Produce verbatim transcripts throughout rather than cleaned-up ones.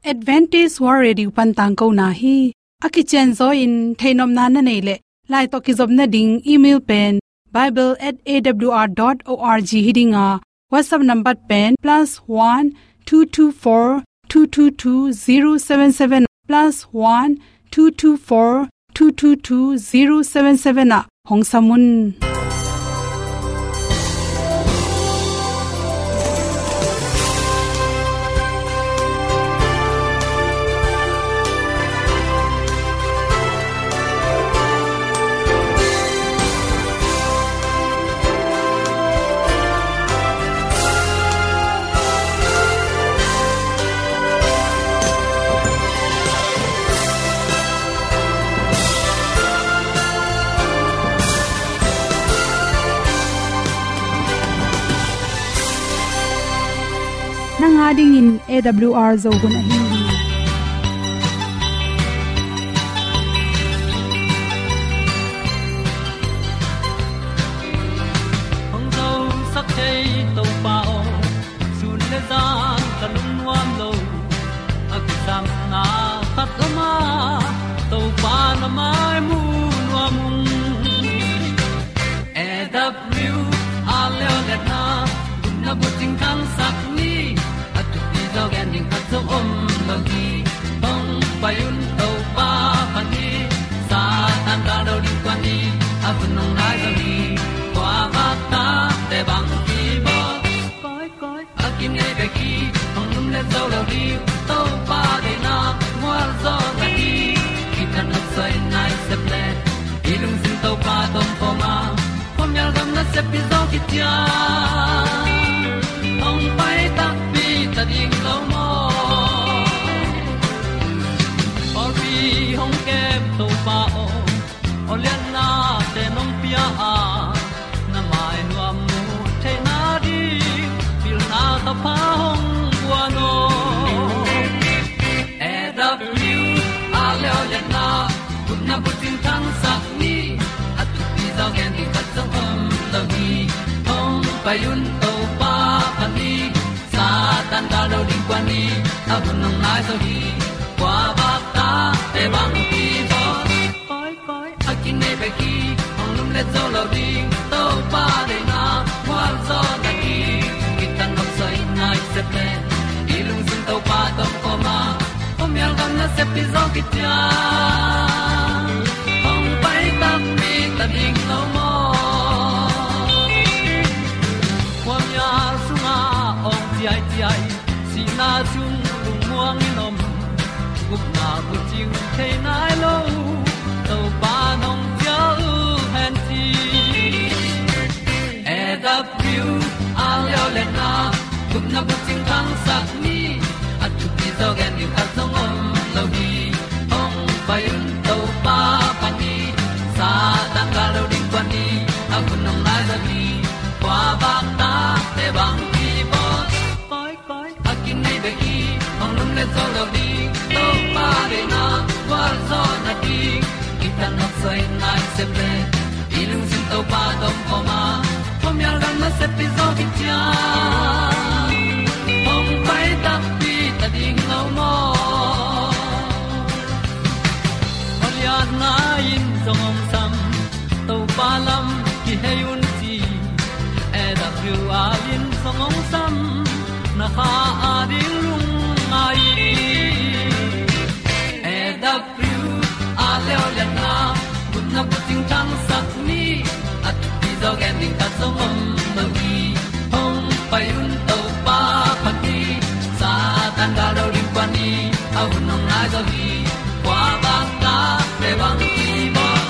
Adventist World Radio pan tangkona hi. A kicianzaw in theihnopna na neih leh, lai tawh kizopna ding email pen bible at A W R dot org hi ding a, WhatsApp number pen plus one two two four two two two zero seven seven, plus one two two four two two two zero seven seven ah hong sam un. Nang a dingin A W R Zo hun ahi hi. Hong zosak thei Topa aw, sun le zan ka lungnuam lo. A kisapna khat om a, Topa na mai mu nuam ung. A W R Leo Letna, gupna bucing thangsak ni, a thupi zaw gen ding khat zong om lo hi. Hong pai un Topa pan hi, Satan gal do ding kuan hi, a hun hong nai zo hi. Kua vak ta te bang hi bawl. Koi, koi, a kinei bek hi, hong lum le zo lo ding, Topa deihna mual zaw na hi. Kitang a soi nai sep le, i lungsim Topa tawh om khawm a, khuamial gam nasep pi zaw kician, hong pai takpi ta ding lo maw. Pawlpi hong kem Topa aw, aw liannate nong pia a, na mai nuam mu theihna ding pilna thapha hong guan aw. A W R Leo Letna, gupna bucing thangsak ni, a thupi zaw gen ding khat zong om lo hi. Hong pai un Topa pan hi, Satan gal do ding kuan hi, a hun hong nai zo hi. Kua vak ta te bang hi bawl. Koi, koi, a kinei bek hi, hong lum le zo lo ding, Topa deihna mual zaw na hi. Kitang a soi nai sep le, i lungsim Topa tawh om khawm a, khuamial gam nasep pi zaw kician, hong pai takpi ta ding lo maw. Khuamial sungah awng ciaiciai, sihna sung lungmuang in om, gupna bucing thei nai lo, Topa nong cial hen ci. A W R Leo Letna, gupna bucing thangsak ni, a thupi zaw gen ding khat zong om lo hi. Hong pai un Topa pan hi, Satan gal do ding kuan hi, a hun hong nai zo hi. Kua vak ta te bang hi bawl. Koi, koi, a kinei bek hi, hong lum le zo lo ding, Topa deihna gual zaw na ding. Kitang a soi nai sep le, i lungsim Topa tawh om khawm a, khuamial gam nasep pi zaw kician, hong pai takpi ta ding lo maw. Aw lianna in zong hong sam, Topa lam kihei un ci. A W R in zong hong sam, na kha a ding lungngai. A W R Leo Letna, gupna bucing thangsak ni, a thupi zaw gen ding khat zong om lo hi. Hong pai un Topa pan hi, Satan gal do ding kuan hi, a hun hong nai zo hi. Kua vak ta te bang hi bawl.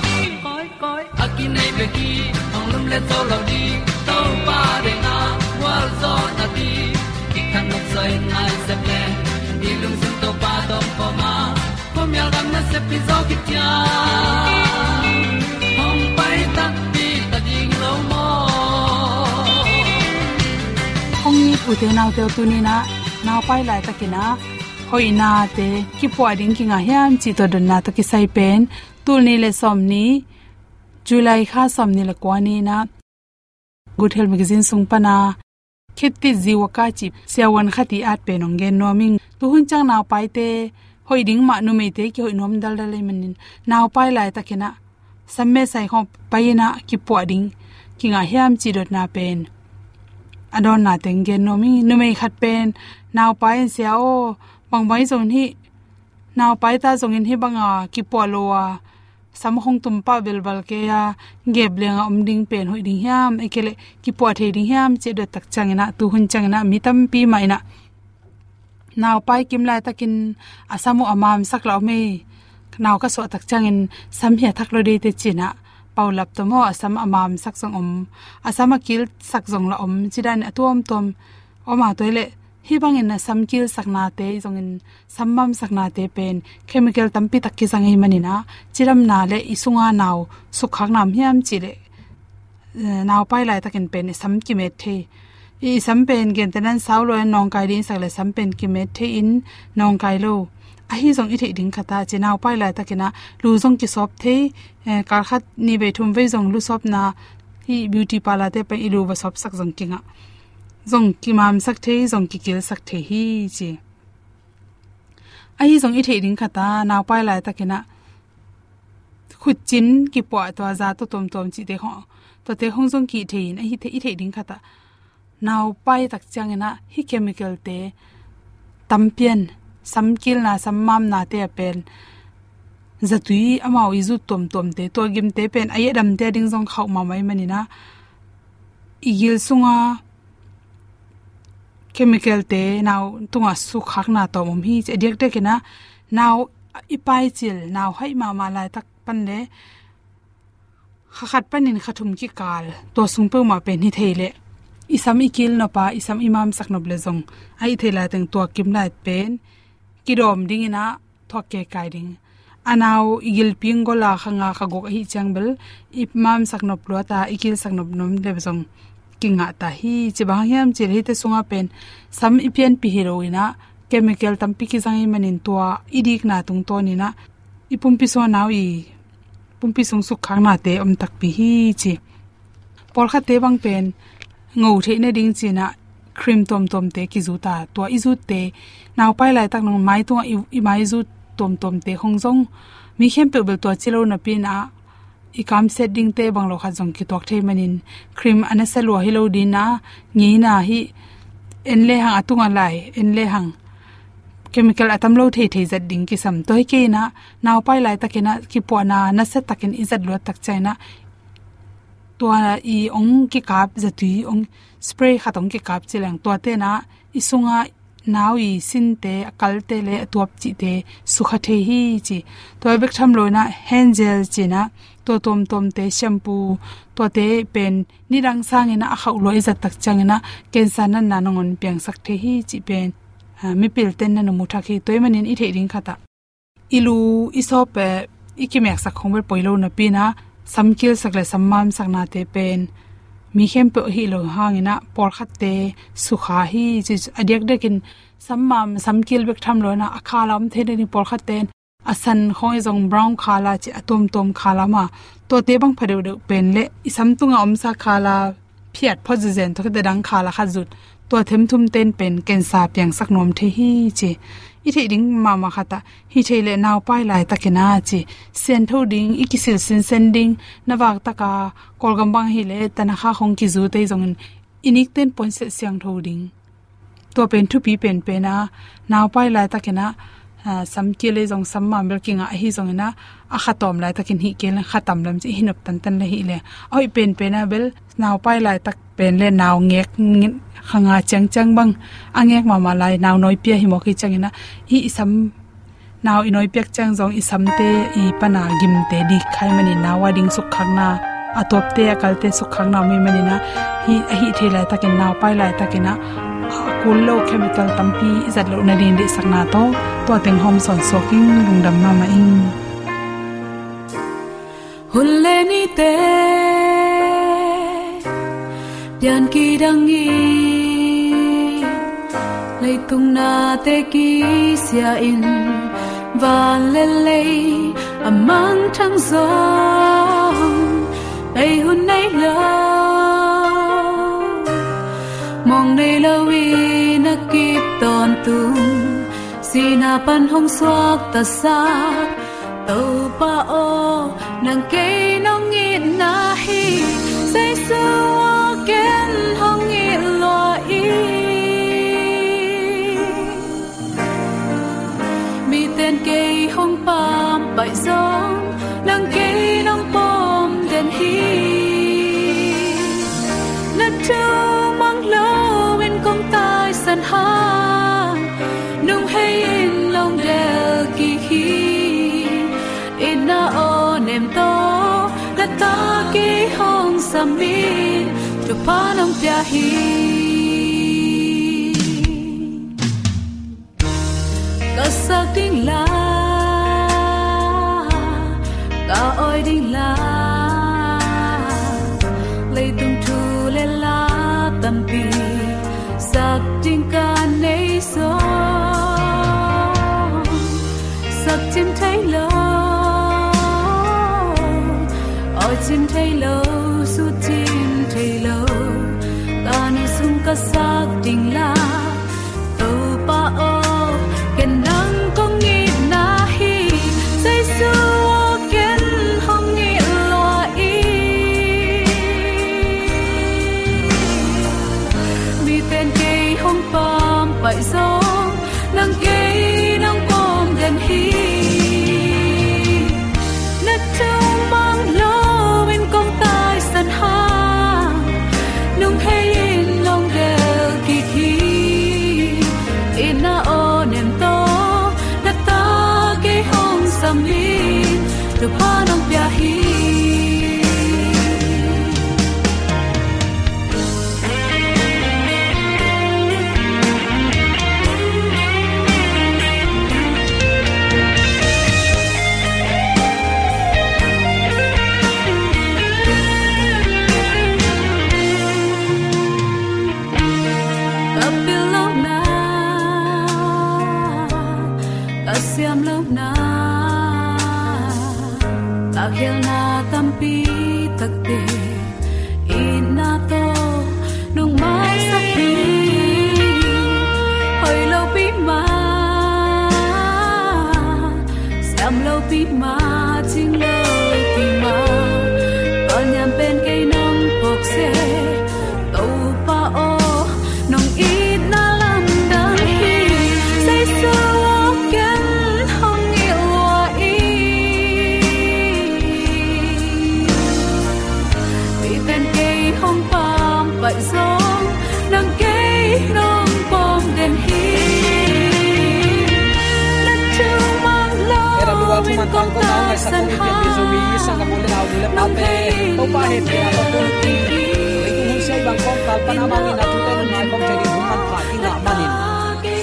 Koi, koi, a kinei bek hi, hong lum le zo lo ding, Topa deihna gual zaw na ding. Kitang a soi nai sep le, i lungsim Topa tawh om khawm a, khuamial gam nasep pi zaw kician, hong pai takpi ta ding lo maw. Hong it u te nau te, tuni-in ah, nau pai laitakin ah, hoihnate kipuah ding kinga hiam cih tua dotna tawh kisai pen, tul nih le sawm nih, July kha sawm nih le kua ni-in ah, Good Health Magazine sung pan a Khit ti ziu a ka cih siavuan khat i at pen hong gen nuam ing. Tuhun ciang naupaite hoih ding mah, numeite kihoih nuam daldal ahih manin, naupai laitakin ah sam mesai khawng pai in ah kipuah ding kingah hiam cih dotna pen a dawnna teng gen nuam ing. Numei khat pen naupai in, "Sia aw, bangbang hi zong hi, naupai ta zongin hih banga kipuah lo a, sam khawng tum pah velval kei a, gep lianga om ding pen hoih ding hiam, ahih kei leh kipuah thei ding hiam?" ci a dot tak ciangin ah, tuhun ciangin ah mi tampi mah in ah, "Naupai kim laitakin a sam uh a mamsak la om ei. Nau ka suah tak ciangin sam hi a thak lo dei teh," ci-in ah paulap tawh maw, a sam a mamsak zong om, a sam a kilsak zong la om, ci danin a tuamtuam om a, tua hi leh hih bangin a sam kilsaknate zongin, sam mamsaknate pen chemical tampi tak kizang ahih manin ah, cidamna le i sunga nau sukkhakna om hiam cih leh, eh, naupai laitakin pen i sam kimet thei. I, i sam pen gentehna in sau lo in nawngkai ding i sak leh sam pen kimet thei in nawngkai lo. Ahi zong i theih ding khat ah, ci, naupai laitakin ah lu zong kisawp thei, eh, kal khat nih vei thum vei zong lu sawpna, hih beauty parlour te pen i lu va sawpsak zong kingah, zong kimamsak thei, zong kikilsak thei hi, ci. Ahi zong i theih ding khat ah, naupai laitakin ah khutcin kipuah, tua za tawh tuamtuam cihte khawng, tuate khawng zong kih thei in, ahi thei, i theih ding khat ah, naupai tak ciangin ah hih chemical te tampi in, sam kilna, sam mamnate a pen zatui amau i zut tuamtuamte, tua gimte pen a i a damte a ding zong khauh mahmah ahih manin ah, i gil sunga chemical te nau tungah sukkhakna tawm om hi, ci. A diakdiakin ah nau i paicil, nau haih mahmah laitak pan leh kha khat panin kha thum kikal, tua sung peuhmah pen hi thei leh i sam i kil nop a, i sam i mamsak nop leh zong, ahih thei laiteng tua kim lai pen kidawm dingin ah thuak keikai ding. A nau i gilpi in gol a, kha nga kha guk ahih ciang bel i mamsak nop luat a, i kilsak nop nuam leh zong kingah ta hi, ci. Bang hang hiam cih leh hihte sungah pen sam i pianpih hi lo in ah, chemical tampi kizang ahih manin tua i dikna tungtawn in ah i pumpi sung a nau i pumpi sung sukkhaknate om takpi hi, ci. Pawlkhatte bang pen ngo theih nading ci-in ah cream tuamtuamte kizut a, tua i zutte, naupai laitak nang mai tungah i, i mai zut tuamtuamte khawng zong mi khempeuh bel tua ci lo napi in ah, i kamsiat dingte bang lo khat zong kituak thei manin, cream a nasia lua hi lo ding a, ngeina hih en lehang, a tungah lai en lehang chemical a tam lo theithei zat ding kisam. Tua hi kei in ah, naupai laitakin ah kipuahna nasia takin i zat luat tak ciangin ah, tua i ong kikap, zatui ong spray khat ong kikap ci leng, tuate in ah i sungah nau i sinte, a kalte le a tuap cihte sukha thei hi, ci. Tua bek tham lo in ah hand gel ci-in ah, tua tuamtuamte, shampoo, tuate pen nidang sangin ah a khauh lua i zat tak ciangin ah cancer natna nangawn piangsak thei hi, cih pen, ah, mipilte'n na mu thak hi. Tua ahih manin i theih ding khat ah, i lu i sawp, eh, i kimeksak khawng bel poi lo napi in ah, sam kilsak le sam mamsaknate pen mi khempeuh ahih lo hangin ah pawlkhatte sukha hi, ci. A diakdiakin sam mam, sam kil bek tham lo in ah, a khala om thei nading, pawlkhatte'n a san khawng i zong brown khala ci, a tuamtuam khala mah, tuate bang pha deuhdeuh pen le i sam tungah omsa khala phiat phot zenzen, tua khit teh dang khala khat zut, tua themthumte'n pen cancer piangsak nuam thei hi, ci. I theih ding mahmah khat ah, hi thei leh naupai laitakin ah, ci, siangtho ding, i kisil sinsen ding, na vak tak a Kawlgam bang hi leh tanakha khawng kizute zongin i nikte'n puansilh siangtho ding. Tua pen thupi penpen a, naupai laitakin ah, ah, sam kil le zong sam mam bel kingah ahi zongin ah, a kha tawm laitakin hih kei leng kha tam lem ci, hih nop tantan le hih le. A hoih penpen a bel naupai laitak pen le nau ngek, kha nga ciangciang bang a ngek mahmah lai, nau nawi pia hi mawk hi ciangin ah, hih i sam nau i nawi piak ciang zong i samte i pan a gimte dik kha ahih manin nau a ding sukkhakna, a tuapte a kalte sukkhakna om ahih manin ah, hih, ahih thei laitakin, naupai laitakin ah, a kul lo chemical tampi i zat loh nading deihsakna tawh tua teng hawm sawn suak ing. Lungdam mahmah ing. Hun le nite pian kidang in, leitung nate kisia in, van le lei a mangthang zong bei hun nei lo. Mawng nei kip tawntung, sihna pan hong suaktasak Topa aw, nang kei nong itna hi. Jesu aw, ken hong it lua ing. Miten kei hong pampaih zong, nang kei nong pom den hi. Na thu mang loin kong taisan hang, nong hei in long del kik hi. Itna aw nem tawh, na ta kei hong sam in, thupha nong pia hi. Ka sak ding la, ka awi ding la, leitung thu le la tampi sak ding ka nei sawm. Sak cim thei lo, awi cim thei lo, sut cim thei lo, ka nu sung ka sak ding la. Topa aw, ken nang kong itna hi. Jesu aw, ken hong it lua ing. Miten kei hong pampaih zong, nang kei nong pom den hi. Na thu mang loin kong taisan hang, nong hei in long del kik hi. Itna aw nem tawh, na ta kei hong sam in, thupha nong pia hi. Ka pil lohna, ka siam lohna, ka khialhna tampi takte, itna tawh nong maisak hi. Hoih lopi mah, siam lopi mah, cing lopi mah, ka niam pen kei nong phawk seh. Topa aw, nong itna lamdang hi. Jesu aw, ken hong it lua ing. Miten kei hong pampaih zong, nang kei nong pom den hi. Na thu mang loin kong taisan hang, Topa hehpihna tawh tun, leitung hun sia i bang kawmkal pan a mangin a thute nungngai khawm thei ding hun manpha i ngah manin,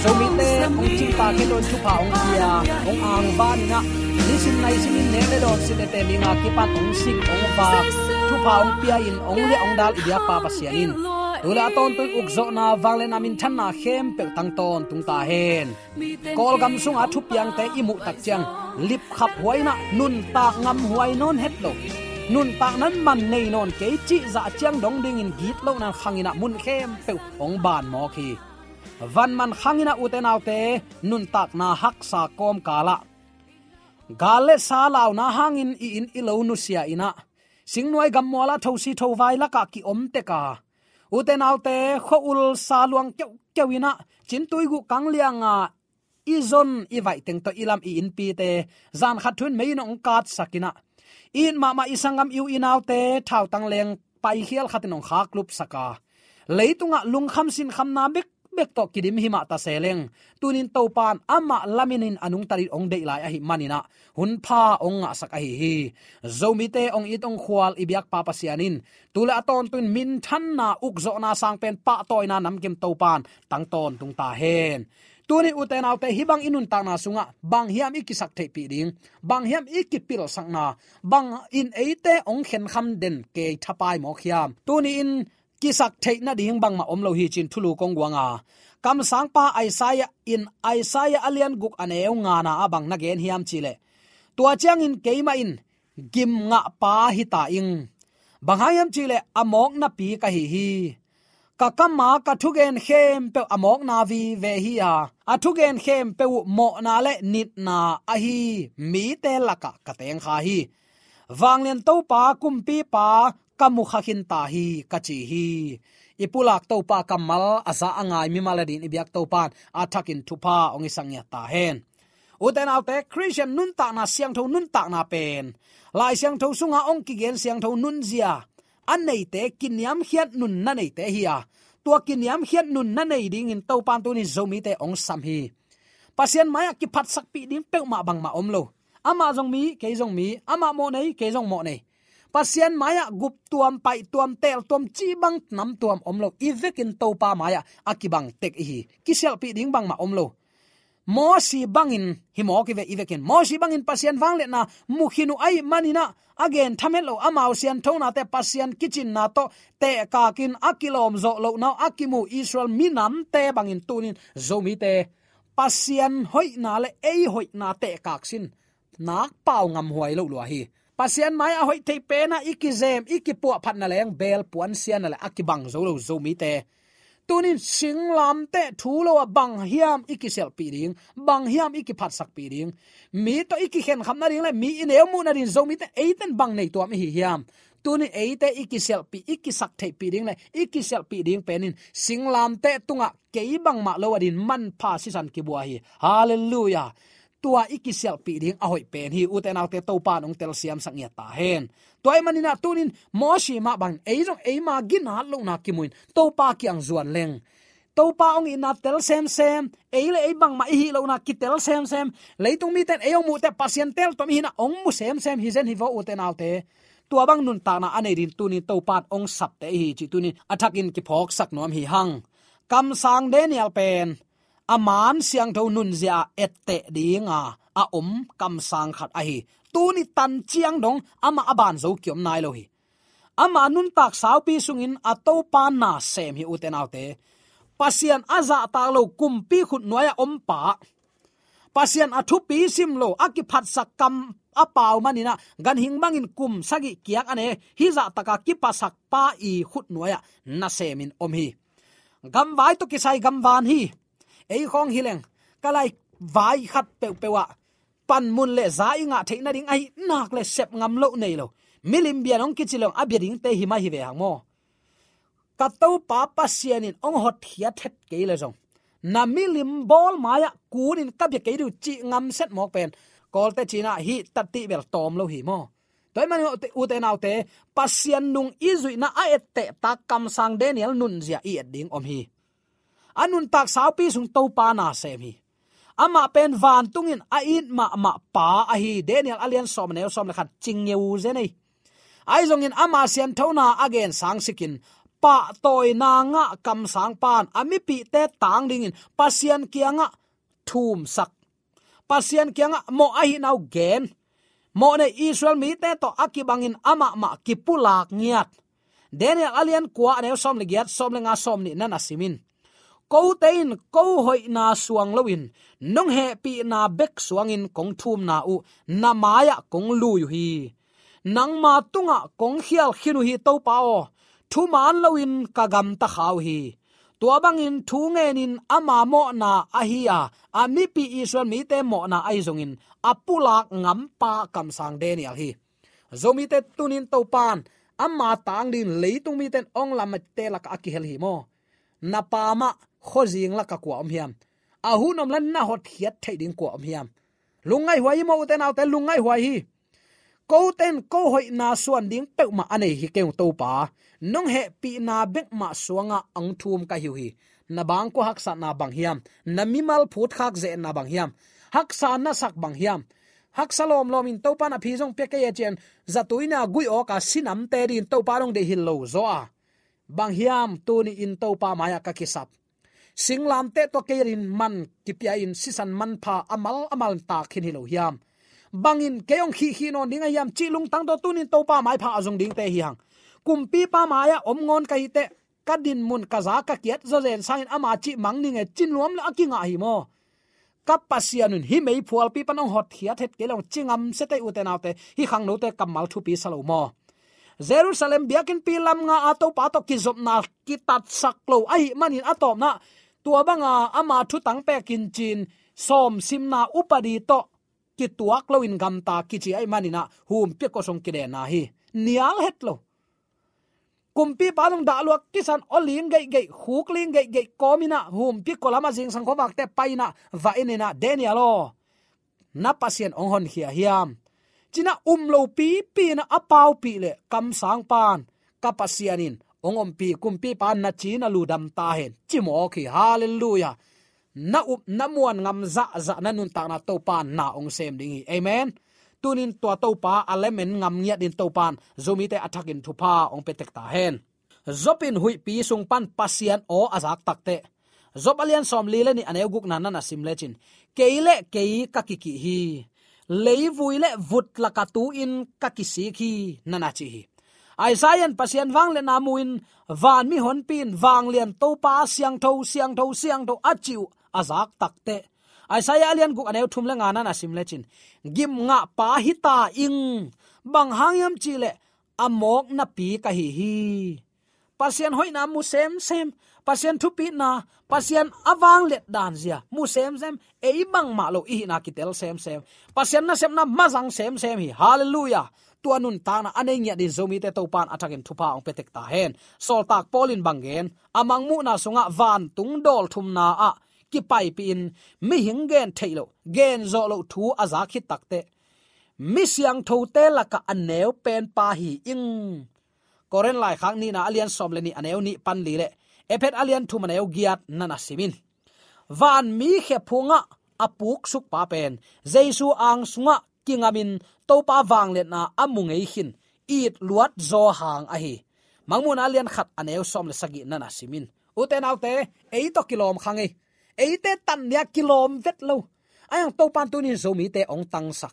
Zomite hong cingtak khit loin thupha hong pia, hong angvan in ah, nisim naisim in nek le dawn, sin le teh, mi nga kipan hong sik hong vak, thupha hong pia in, hong liah hong dal i biakpa Pasian in tu le a tawntung ukzawhna, vangliatna, minthanna khempeuh tang tawntung ta hen. Kawlgam sunga thupiangte i muh tak ciang, lipkhap huai in ah, nuntak ngamhuai nawn het lo, nuntak nan man nei nawn kei cih zah ciang dong dingin gitlohna khang in ah mun khempeuh hong ban mawk hi. Van man khang in ah, ute naute, nuntakna haksa kawmkal ah, gal le sa launa hangin i inn i lo nusia in ah, singnuai gammual ah thosi thovai lakah ki-om tek a, ute naute, khua-ul sa luang keuhkeuh in ah, cintui guh kang lianga i zon i vaih teng tawh i lam i innpite, zan khat thu in mei in hong katsak in ah, i it mahmah i sanggam, i u i naute thautang leng paikhial khat in hong khaklupsak a, leitungah lungkham sinkhamna bekbek tawh kidim hi mah ta se leng, tunin Topa in amah lamin in a nungta dingin hong deih lai ahih manin ah, hun pha hong ngahsak ahi hi. Zomite hong it hong khual i biakpa Pasian in tu le a tawntung in minthanna, ukzawhna, sangpen pahtawina namkim Topa in tang tawntung ta hen. Tuni ute naute, hih bang i nuntakna sungah bang hiam i kisak theihpih ding, bang hiam i kipilsakna, bang in eite hong khenkham den kei thapai mawk hiam? Tuni in kisak theih nading bangmah om lo hi, ci-in thulu kong guang a, kamsangpa Isaiah in Isaiah a lian guk a neu ngana ah bang na gen hiam cih leh, tua ciangin keimah in gim ngahpa hi ta ing. Bang hang hiam cih leh a mawknapi ka hi hi. Ka kam a ka thugen khempeuh a mawkna vive hi a, a thugen khempeuh uh mawhna le nitna ahi mite lakah ka tengkha hi. Vanglian Topa, Kumpipa ka mukha khin ta hi, ka ci hi. I pulak Topa kammal a za a ngai mimal adingin i biak Topa in a thakin thupha hong i sak ngiat ta hen. Ute naute, Khristian nuntakna, siangtho nuntakna pen Lai Siangtho sunga hong kigen siangtho nunzia a neite, kiniamkhiat nunna neite hi a, tua kiniamkhiat nunna nei dingin Topa in tuni Zomite hong sam hi. Pasian mai-ah kiphatsakpih ding peuhmah bangmah om lo. Amah zong mi, kei zong mi, amah mawhnei, kei zong mawhnei. Pasian mai-ah guptuam, paihtuam, teeltuam, cih bang namtuam om lo. I vekin Topa mai-ah a kibang tek i hi. Kisialhpih ding bangmah om lo. Mosi bangin hi mawk i ve, i vekin Mosi bangin Pasian vangliatna mu khin uh ahih manin ah, a gen thamet lo amau sianthonate, Pasian kicinna tawh tehkakin a kilawm zawh lohna uh a kimu Israel minamte bangin tunin Zomite Pasian hoihna le ei hoihna tehkak sin nak pau ngamhuai loh lua hi. Pasian mai-ah a hoih theih pen ah i kizem, i kipuahphatna leng beel puansiatna le a kibang zo lo Zomite. Tunin singlamteh thu lo-ah bang hiam i kisialhpih ding, bang hiam i kiphatsakpih ding, mi tawh i kikhenkham nading le mi i neu muh nading Zomite eite in bang nei tuam i hi hiam? Tunin eite i kisialhpih, i kisak theihpih ding le i kisialhpih ding pen in singlamteh tungah kei bangmah lo adingin manpha sisan kibua hi. Halleluiah. Tua i kisialhpih ding a hoih pen hi. Ute naute, Topa in hong telsiamsak ngiat ta hen. Tua ahih manin ah tunin Mosi mah bangin ei zong eima ginat lohna kimu in Topa kiang zuan leng, Topa hong itna tel semsem, ei le ei bangmah i hih lohna kitel semsem, leitung mite in ei hong muh teh Pasian teeltuam i hihna hong mu semsem hi zen hi vaw, ute naute. Tua bang nuntakna a nei dingin tunin Topa in hong sapte i hi cih tunin a thakin kiphawksak nuam hi hang. Kamsang Daniel pen a man siangtho nunzia-ah etteh dinga a om kamsang khat ahi. Tuni tan ciang dong amah a ban zo kiom nai lo hi. Ama nuntak saupi sungin a Topa na sem hi, ute naute. Pasian a zahtak lo kumpi khutnuai-ah om pa, Pasian a thupi sim lo, a kiphatsak kam a pau manin ah ganhing bangin kum sagih kiak a ne, hih zahtaka kipasak pa i khutnuai-ah nasemin om hi. Gamvai tawh kisai gamvan hi. Ei khawng hi leng, ka lai vai khat peuhpeuh ah panmun le za i ngah theih nading ahi nak le sep ngam loh nei lo. Milim bia nong kici leng a bia dingte hi mah hi ve hang maw. Ka Topa Pasian in hong hotkhiat het kei le zong, na milim bawl mai-ah kunin ka bia kei ding uh cih ngamset mawk pen, Kawlte cina hih tatih bel tawm lo hi maw. Tua ahih manin ute naute, Pasian nung i zuihna a ettehtak kamsang Daniel nunzia i et ding om hi. A nuntak saupi sung Topa na sem hi. Amah pen vantungin a it mahmah pa ahi. Daniel a lian sawm, a neu sawm le khat, cing ngeu zen ei. Ahi zongin ama sianthona a gen sangsikin pahtawina ngah kamsang pan a mipihte tang dingin Pasian kiangah thumsak, Pasian kiangah mawh ahihna uh gen, mawhnei Israel mite tawh a kibangin amah mah kipulak ngiat. Daniel a lian kua, a neu sawm le giat, sawm le nga, sawm nihna na sim in. Kote in ko hoihna suang loin, nong hehpihna bek suangin kong thumna uh na mai-ah kong lui uh hi. Nangma tungah kong khial khin uh hi, Topa aw, thuman loin ka gamta kha uh hi. Tua bangin thu ngenin ama mawhna ahi a, a mipi Israel mite mawhna ahi zongin a pulak ngampa kamsang Daniel hi. Zomite tunin Topan ama tang dingin leitung mite in hong lamte lakah a kihel hi maw. Na pa mah khuazing lakah kua om hiam? A hun om la na hotkhiat theih ding kua om hiam? Lungngaihhuai hi maw, ute naute, lungngaihhuai hi. Kote in ko hoihna suan ding peuhmah a nei hi keng uh, Topa. Nong hehpihna bek mah suangah hong thum ka hi uh hi. Na bangkua haksatna bang hiam? Na mimal phutkhak ze-etna bang hiam? Haksa na sak bang hiam? Haksa lawmlawmin Topa na phi zong pia kei e ci-in zatui na guih awka sinamte dingin Topa dong deih hi lo zaw a, bang hiam tuni-in Topa mai-ah ka kisap? Singlamteh tawh kei adingin man kipia-in sisan manpha a mal a mal in tak khin hi lo hiam? Bangin kei hong khihkhih nawn ding ahi hiam cih lungtang tawh tunin Topa maipha a zong dingte hi hang. Kumpipa mai-ah om ngawn ka hi teh, ka dinmun, ka za, ka kiat zawzen sangin ama cih mang ning e ci nuam le a kingah hi maw. Ka Pasian un hih meiphualpi pan hong hotkhiat het kei leng ci ngamsia teh, ute naute, hih khangnote kammal thupi sa lo maw. Jerusalem biakinnpi lam nga a Topa tawh kizopna kitatsak lo ahih manin a tawpna tua banga ama thutang pekin cin sawmsimna upadi tawh kituak loin gamta kici ahih maninah humpi kosong kidenna hi. Nial het lo. Kumpipa zong dahluak kisan aw ling geihgeih, khuk ling geihgeih kawminah humpi kolam a zingsang khuavakte painah va eninah Daniel aw, na Pasian hong honkhia hiam? Cinah um lo pipi inah a paupih le kamsang pan ka Pasian in hong ompih kumpipa na ci na lu dam ta hen ci mawk hi. Halleluiah. Na up na muan ngam zahzah na nuntakna Topa na hong sem ding hi. Amen. Tunin tua Topa a lemen ngam ngiat din Topan Zomite a thakin thupha hong petek ta hen. Job in huihpi sung pan Pasian aw a zak takteh Job a lian sawmli le nih a neu gukna nan a sim lecin kei le kei ka kikih hi. Leivui le vut laka tu-in ka kisik hi nan a ci hi. Isaiah in Pasian vangliatna mu-in vanmi honpi in vanglian Topa siangtho siangtho siangtho a cih uh a zak takteh Isaiah a lian guk a neu thum le nga nan a sim lecin gimngahpa hita ing. Bang hang hiam cihleh a mawk napi ka hi hi. Pasian hoihna mu semsem, Pasian thupitna, Pasian a vangliat danzia mu semsem, ei bangmah lo i hihna kitel semsem, Pasian nasepna mazang semsem hi. Halleluiah. Tua nuntakna a nei ngiat din Zomite Topan a thakin thupha hong petek ta hen. Sawltak Paul in bang gen? A mangmuhna sungah vantung dawl thumna ah kipaipihin mihing gen theih loh, gen zawh loh thu a zak khit takteh mi siangthote lakah a neu penpa hi ing. Korin laikhak nihna a lian sawm le nih a neu nih pan li le Ephet a lian thum a neu giat nan a sim in. Vanmi khephungah a puksukpa pen Jesu ang sungah kingamin Topa vangliatna a mu ngei khin it luat zaw hang ahi. Mangmuhna a lian khat a neu sawm le sagih nan a sim in. Ute naute, ei tawh kilawm kha ngei. Eite tannia kilawm vet lo. Ahi hang Topan tunin Zomite hong tangsak.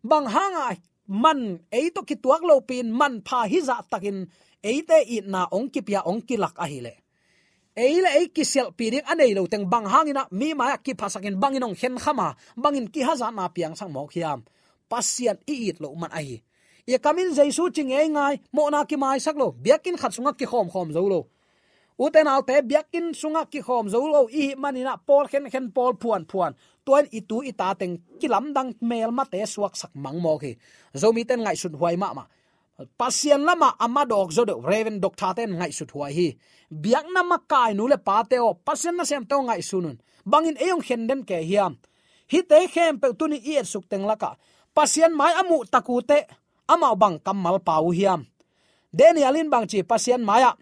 Bang hanga man ei tawh kituak lopi-in manpha hizahtakin eite itna hong kipia hong kilak ahileh ei le ei kisialhpih ding a nei lo teng bang hanginah mi mai-ah kiphasakin bangin hong khenkham a, bangin kihazatna piangsak mawk hiam? Pasian i it loh man ahi. I kamin Jesu ci ngeingai, mawhna kimaisak lo, biakinn khat sungah kikhawmkhawm zo lo. Ute naute, biakinn sungah kikhawm zo lo i hih maninah pawl khenkhen, pawl phuanphuan, tua in i tu i ta teng kilamdang melmate suaksak mangmawk hi. Zomite in ngaihsut huai mahmah. Pasian lamah a madawk zaw deuh Reverend Doctor-te in ngaihsut huai hi. Biakna makai nu le pate aw, Pasian nasemte aw, ngaihsun un. Bangin ei hong khen den kei hiam? Hihte khempeuh tuni i etsuk teng lakah Pasian mai a muh tak uh teh amau bang kammal pau uh hiam? Daniel in bangci Pasian mai-ah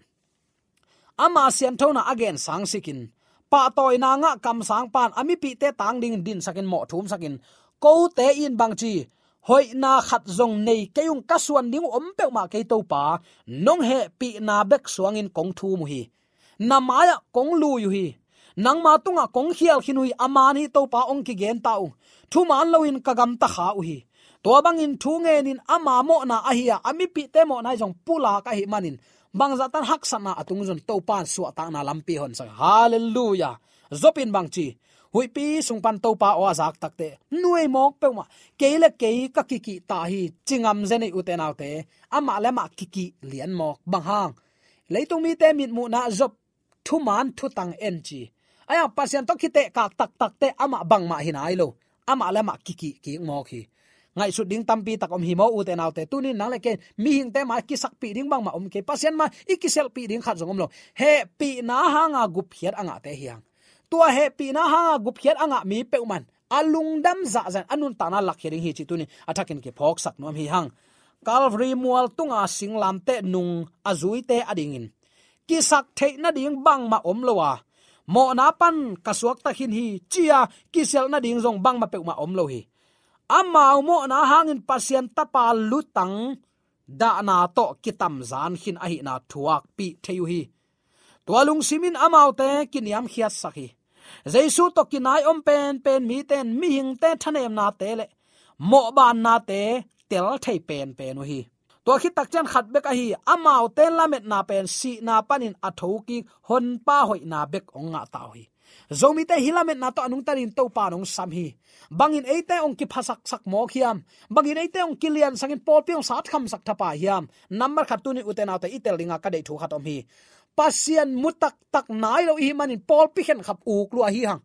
ama sianthona a gen sangsikin, pahtawina ngah kamsang pan a mipihte tang dingin dinsakin mawhthumsakin, kote in bangci, hoihna khat zong nei kei ung, ka suan ding uh om peuhmah kei Topa, nong hehpihna bek suangin kong thum uh hi. Na mai-ah kong lui uh hi. Nangma tungah kong khial khin uh hi, a man hi Topa hong kigen ta uh. Thuman loin ka gamta kha uh hi. Tua bangin thu ngenin ama mawhna ahi a, a mipihte mawhna hi zong pulak ahih manin bangzahtan haksatna a tung zong Topa in suahtakna lampi honsak. Halleluiah. Job in bangci, huihpi sung pan Topa aw a zak takteh nuai mawk peuhmah, kei le kei ka kikih ta hi, ci ngam zen ei ute naute. Amah le amah kikih lian mawk. Bang hang? Leitung mite mitmuhna Job thuman thutang en ci. Ahi hang Pasian tawh kitehkak taktakteh amah bangmah hi nai lo. Amah le amah kikih kik mawk hi. Ngaihsut ding tampi tak om hi maw ute naute. Tunin nang le kei mihingte mai kisakpih ding bangmah om kei. Pasian mai i kisialhpih ding khat zong om lo. Hehpihna hanga gupkhiat a ngahte hi hang. Tua hehpihna hanga gupkhiat a ngah mi peuhmah in a lungdam zahzah in a nuntakna lakkhia ding hi cih tunin a thakin kiphawksak nuam hi hang. Calvary mual tunga singlamteh nung a zuite adingin kisak theih nading bangmah om lo a, mawhna pan ka suakta khin hi ci-a kisialh nading zong bangmah peuhmah om lo hi. Amau mawhna hangin Pasian Tapa lutang dahna tawh kitamzan khin ahihna thuakpih thei uh hi. Tua lungsim in amaute kiniamkhiatsak hi. Jesu tawh kinai om penpen mite in mihingte thanemnate le mawhbannate tel thei penpen uh hi. Tua khit takciang khat bek ahi, amaute lametna pen sihna panin a thokik Honpa hoihna bek hong ngah ta uh hi. Zomite hih lametna tawh a nungta dingin Topa in hong sam hi. Bangin eite hong kiphasaksak mawk hiam? Bangin eite hong kiliansangin pawlpi hong satkhamsak thapia hiam? Nambat khat, tuni ute naute i tel dinga ka deih thu khat om hi. Pasian mu taktak nai lo i hih manin pawlpi khenkhap uk lua hi hang.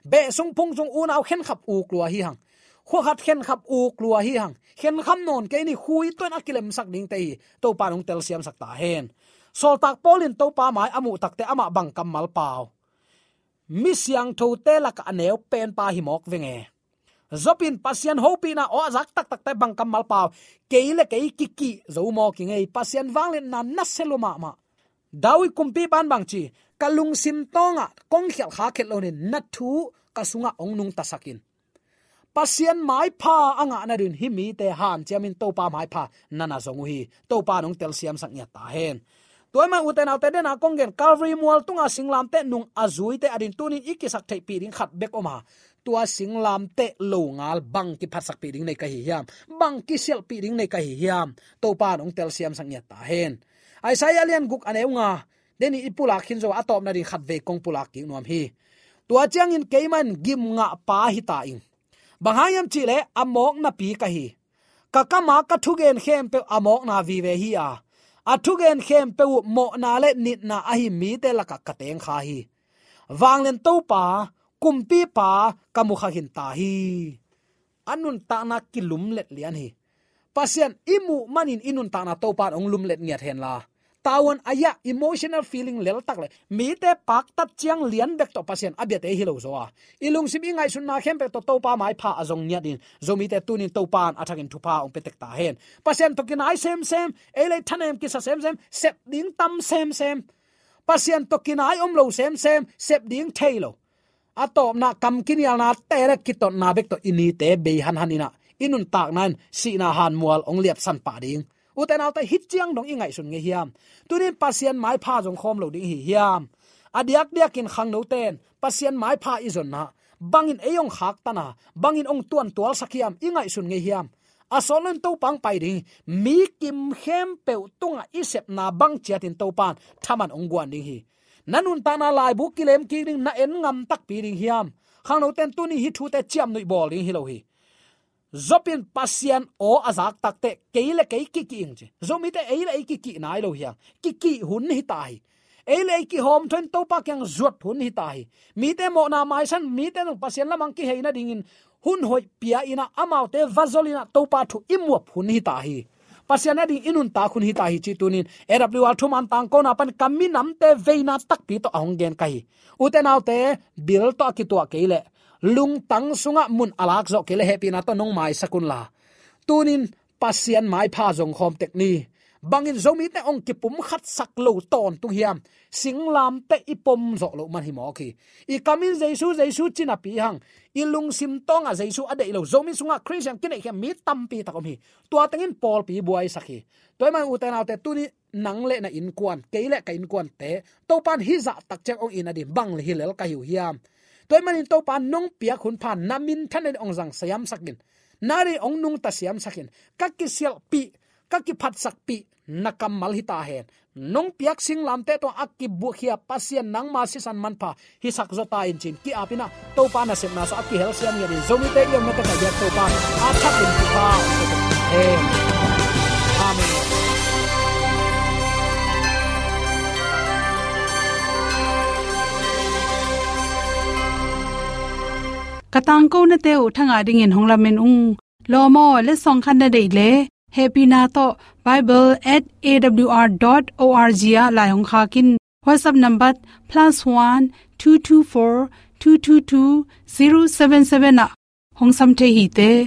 Beh sung phung sung unau khenkhap uk lua hi hang. Khua khat khenkhap uk lua hi hang. Khenkham nawn kei ni, khui tuan a kilemsak dingte hi. Topa in hong telsiamsak ta hen. Sawltak Paul in Topa mai a muh takteh amah bang kammal pau? Mi siangthote lakah a neu penpa hi mawk veng e. Job in Pasian hopihna aw a zak taktakte bang kammal pau? Kei le kei kikih zo mawk i ngei, Pasian vangliatna nasia lua mahmah. David kumpipa in bang ci? Ka lungsim tawngah kong khialh kha khet loin na thu ka sungah hong nungtasak in. Pasian maipha a ngah nadingin hih mite hanciamin Topa maipha na na zong uh hi. Topa in hong telsiamsak ngiat ta hen. Tua ahih manin ute naute, dena kong gen Calvary mual tunga singlamteh nung a zuite adingin tunin i kisaktheihpih ding khat bek om a, tua singlamteh longal bang kiphatsakpih ding nei ka hi hiam? Bang kisialhpih ding nei ka hi hiam? Topa in hong telsiamsak ngiat ta hen. Isaiah lian guk a neu nga, deni i pulak khin zo a, a tawpna ding khatvei kong pulak kik nuam hi. Tua ciangin keimah in gimngahpa hi ta ing. Bang hang hiam cih leh a mawk napi ka hi. Ka kam a ka thugen khempeuh a mawkna vive hi a, a thugen khempeuh uh mawhna le nitna ahi mite lakah ka teng kha hi. Vanglian Topa, kumpipa ka mu kha khin ta hi. A nuntakna kilumlet lian hi. Pasian i muh manin i nuntakna Topa in hong lumlet ngiat hen la. Tavuan a yah emotional feeling leltak le mite paktat ciang lian bek tawh Pasian a biate hi lo zaw a, i lungsim i ngaihsutna khempeuh tawh Topa maipha a zong ngiatin Zomite tunin Topa in a thakin thupha hong pia tek ta hen. Pasian tawh kinai semsem, ei le ei thanem kisa semsem, sep ding tam semsem. Pasian tawh kinai om lo semsem, sep ding thei lo. A tawpna kam kinialna te le kitotna bek tawh i nite bei hanhan in a, i nuntakna in sihna hanmual hong liapsan pah ding. Ute naute, hih ciang dong i ngaihsun ngei hiam? Tunin Pasian maipha zong khawm lo ding i hi hiam? A diakdiakin khangnote in Pasian maipha i zonna bangin ei hong khaktan a, bangin hong tuantualsak hiam, i ngaihsun ngei hiam? A sawt loin Topa hong pai ding hi. Mi kim khempeuh tungah i sepna bang ciatin Topa in thaman hong guan ding hi. Na nuntakna laibu kilem kik ding, na en ngam takpi ding hiam? Khangnote in tuni hih thute ciamnuih bawl ding hi lo hi. Job in Pasian aw a zak takteh kei le kei kikih ing ci. Zomite ei le ei kikih nai lo hi a, kikih hun hi ta hi. Ei le ei kihawmthawh in Topa kiang zuat hun hi ta hi. Mite mawhna maisan, mite nung Pasian lamah kihei nadingin hun hoih pia in a, amaute va zol in a, Topa thu i muap hun hi ta hi. Pasian ading i nuntak hun hi ta hi cih tunin A W R thuman tangkona pan ka minamte veina takpi tawh a hong gen ka hi. Ute naute, bil tawh a kituah kei leh, lungtang sungah mun a lak zawh kei leh hehpihna tawh nong maisak un la. Tunin Pasian maipha zong khawm tek ni. Bangin Zomite hong kipumkhatsak lo tawntung hiam? Singlamteh i pom zawh loh man hi mawk hi. I kam in Jesu, Jesu ci napi hang, i lungsim tawngah Jesu a deih lo Zomi sungah Khristian kineihkhiat mi tampi tak om hi. Tua tengin pawlpi buaisak hi. Tua ahih manin ute naute, tuni nang le na innkuan, kei le ka innkuante Topa in hih zahtak ciang hong it nading bang le hi lel ka hi uh hiam? Tua ahih manin Topa in nong piak hun pha na minthan nading hong zang siamsak in, na deih hong nungta siamsak in, ka kisialhpih, ka kiphatsakpih na kammal hi ta hen. Nong piak singlamteh tawh a kibuakhia Pasian nangma sisan manpha hisak zaw ta in ci-in ki-ap in a, Topa nasepna sungah a kihelsiam ngiat in Zomite i omna takah biak Topa a thak in thupha hong pia hen. Amen. Ka tangkonate uh thangah dingin hong lamen ung. Lawm aw, letsong khat na deih leh, hehpihna tawh bible at A W R dot O R G ah lai hong khak in. WhatsApp number plus one two two four two two two zero seven seven ah hong sam thei hi te.